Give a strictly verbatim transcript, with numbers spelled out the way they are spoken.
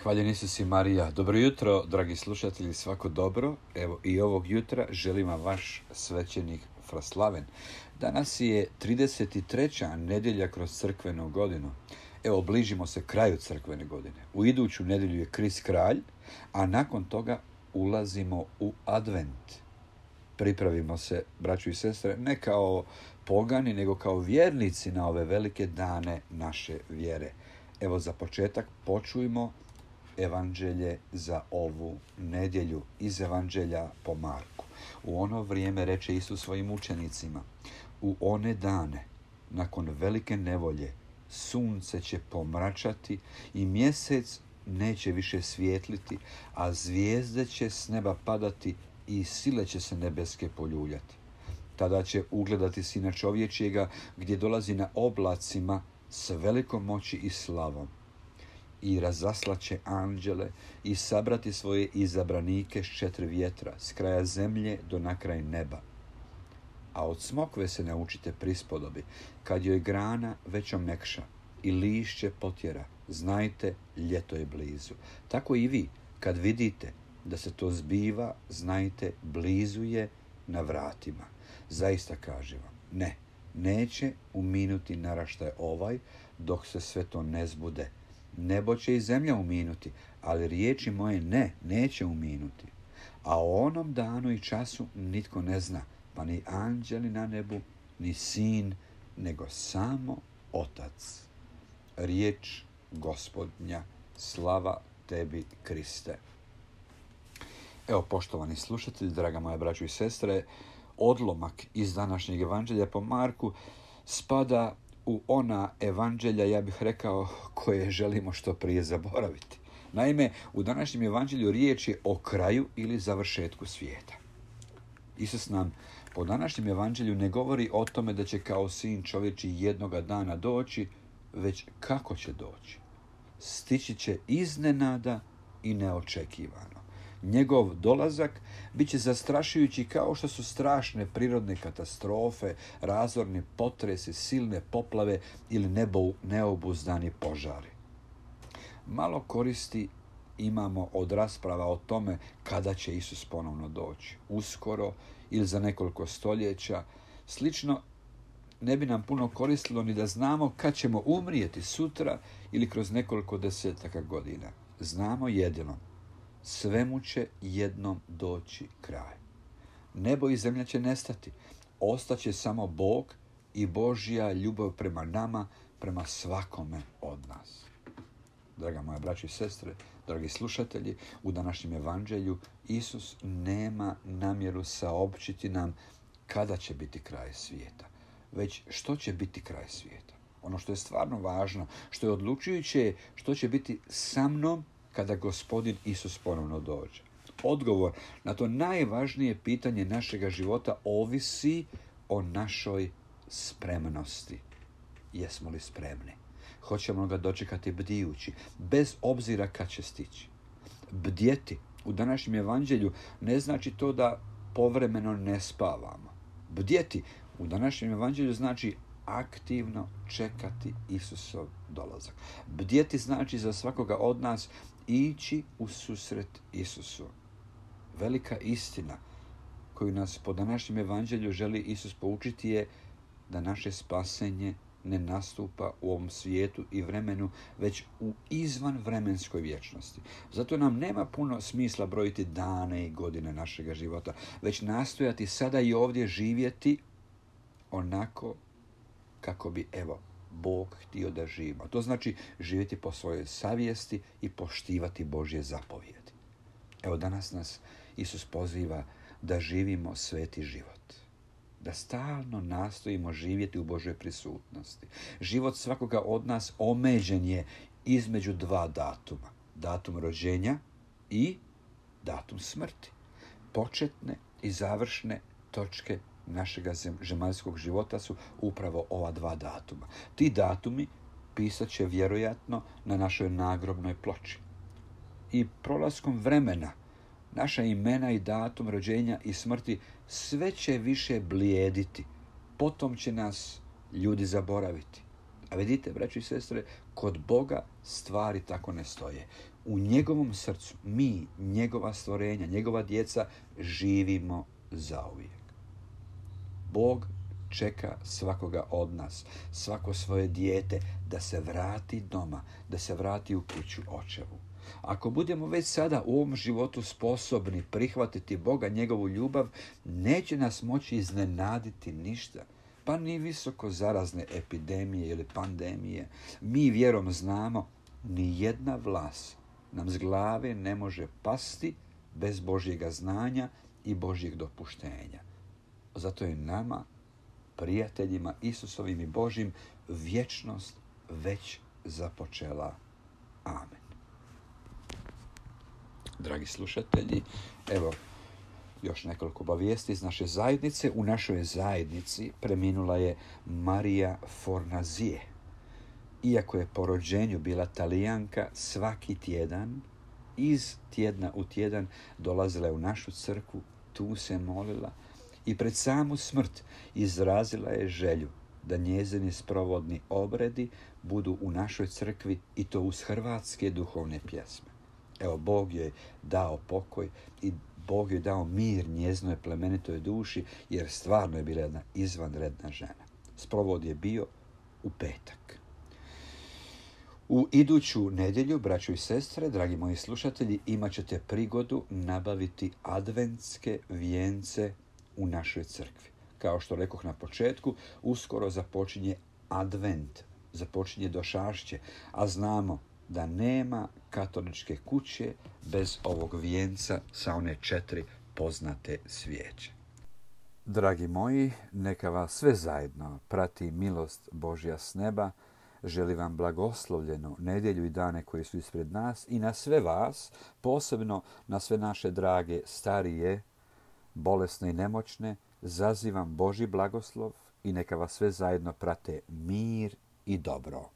Hvaljen Isus i Marija. Dobro jutro, dragi slušatelji, svako dobro. Evo i ovog jutra želim vam vaš svećenik Fraslaven. Danas je trideset treća nedjelja kroz crkvenu godinu. Evo, bližimo se kraju crkvene godine. U iduću nedjelju je Krist kralj, a nakon toga ulazimo u advent. Pripravimo se, braćo i sestre, ne kao pogani, nego kao vjernici na ove velike dane naše vjere. Evo, za početak počujmo evanđelje za ovu nedjelju iz evanđelja po Marku. U ono vrijeme reče Isus svojim učenicima: u one dane, nakon velike nevolje, sunce će pomračati i mjesec neće više svijetliti, a zvijezde će s neba padati i sile će se nebeske poljuljati. Tada će ugledati Sina čovječjega gdje dolazi na oblacima s velikom moći i slavom. I razaslaće anđele i sabrati svoje izabranike s četiri vjetra, s kraja zemlje do na kraj neba. A od smokve se naučite prispodobi: kad joj grana već omekša i lišće potjera, znajte, ljeto je blizu. Tako i vi, kad vidite da se to zbiva, znajte, blizu je, na vratima. Zaista kažem vam, ne, neće uminuti naraštaj ovaj, dok se sve to ne zbude. Nebo će i zemlja uminuti, ali riječi moje ne, neće uminuti. A o onom danu i času nitko ne zna, pa ni anđeli na nebu, ni sin, nego samo Otac. Riječ Gospodnja, slava tebi, Kriste. Evo, poštovani slušatelji, draga moja braćo i sestre, odlomak iz današnjeg evanđelja po Marku spada u ona evanđelja, ja bih rekao, koje želimo što prije zaboraviti. Naime, u današnjem evanđelju riječ je o kraju ili završetku svijeta. Isus nam po današnjem evanđelju ne govori o tome da će kao sin čovječji jednoga dana doći, već kako će doći. Stići će iznenada i neočekivano. Njegov dolazak bit će zastrašujući kao što su strašne prirodne katastrofe, razorni potresi, silne poplave ili nebo, neobuzdani požari. Malo koristi imamo od rasprava o tome kada će Isus ponovno doći. Uskoro ili za nekoliko stoljeća. Slično ne bi nam puno koristilo ni da znamo kad ćemo umrijeti sutra ili kroz nekoliko desetaka godina. Znamo jedino: svemu će jednom doći kraj. Nebo i zemlja će nestati. Ostaće samo Bog i Božja ljubav prema nama, prema svakome od nas. Draga moja braćo i sestre, dragi slušatelji, u današnjem evanđelju Isus nema namjeru saopćiti nam kada će biti kraj svijeta, već što će biti kraj svijeta. Ono što je stvarno važno, što je odlučujuće, što će biti sa mnom kada Gospodin Isus ponovno dođe. Odgovor na to najvažnije pitanje našega života ovisi o našoj spremnosti. Jesmo li spremni? Hoćemo ga dočekati bdijući, bez obzira kad će stići. Bdjeti u današnjem evanđelju ne znači to da povremeno ne spavamo. Bdjeti u današnjem evanđelju znači aktivno čekati Isusov dolazak. Bdjeti znači za svakoga od nas ići u susret Isusu. Velika istina koju nas po današnjem evanđelju želi Isus poučiti je da naše spasenje ne nastupa u ovom svijetu i vremenu, već u izvanvremenskoj vječnosti. Zato nam nema puno smisla brojiti dane i godine našega života, već nastojati sada i ovdje živjeti onako kako bi, evo, Bog htio da živimo. To znači živjeti po svojoj savjesti i poštivati Božje zapovjedi. Evo, danas nas Isus poziva da živimo sveti život. Da stalno nastojimo živjeti u Božoj prisutnosti. Život svakoga od nas omeđen je između dva datuma. Datum rođenja i datum smrti. Početne i završne točke našega zemaljskog života su upravo ova dva datuma. Ti datumi pisat će vjerojatno na našoj nagrobnoj ploči. I prolaskom vremena naša imena i datum rođenja i smrti sve će više blijediti. Potom će nas ljudi zaboraviti. A vidite, braćo i sestre, kod Boga stvari tako ne stoje. u njegovom srcu mi, njegova stvorenja, njegova djeca, živimo zauvijek. Bog čeka svakoga od nas, svako svoje dijete, da se vrati doma, da se vrati u kuću očevu. Ako budemo već sada u ovom životu sposobni prihvatiti Boga, njegovu ljubav, neće nas moći iznenaditi ništa, pa ni visoko zarazne epidemije ili pandemije. Mi vjerom znamo, ni jedna vlas nam s glave ne može pasti bez Božjega znanja i Božjeg dopuštenja. Zato je nama, prijateljima Isusovim i Božjim, vječnost već započela. Amen. Dragi slušatelji, evo još nekoliko obavijesti iz naše zajednice. U našoj zajednici preminula je Marija Fornazije. Iako je po rođenju bila Talijanka, svaki tjedan, iz tjedna u tjedan, dolazila je u našu crkvu, tu se molila i pred samu smrt izrazila je želju da njezini sprovodni obredi budu u našoj crkvi i to uz hrvatske duhovne pjesme. Evo, Bog joj dao pokoj i Bog joj dao mir njezinoj plemenitoj duši, jer stvarno je bila jedna izvanredna žena. Sprovod je bio u petak. U iduću nedjelju, braćo i sestre, dragi moji slušatelji, imat ćete prigodu nabaviti adventske vijence u našoj crkvi. Kao što rekoh na početku, uskoro započinje advent, započinje došašće, a znamo da nema katoličke kuće bez ovog vijenca sa one četiri poznate svijeće. Dragi moji, neka vas sve zajedno prati milost Božja s neba. Želim vam blagoslovljenu nedjelju i dane koji su ispred nas i na sve vas, posebno na sve naše drage starije, bolesne i nemoćne, zazivam Božji blagoslov i neka vas sve zajedno prate mir i dobro.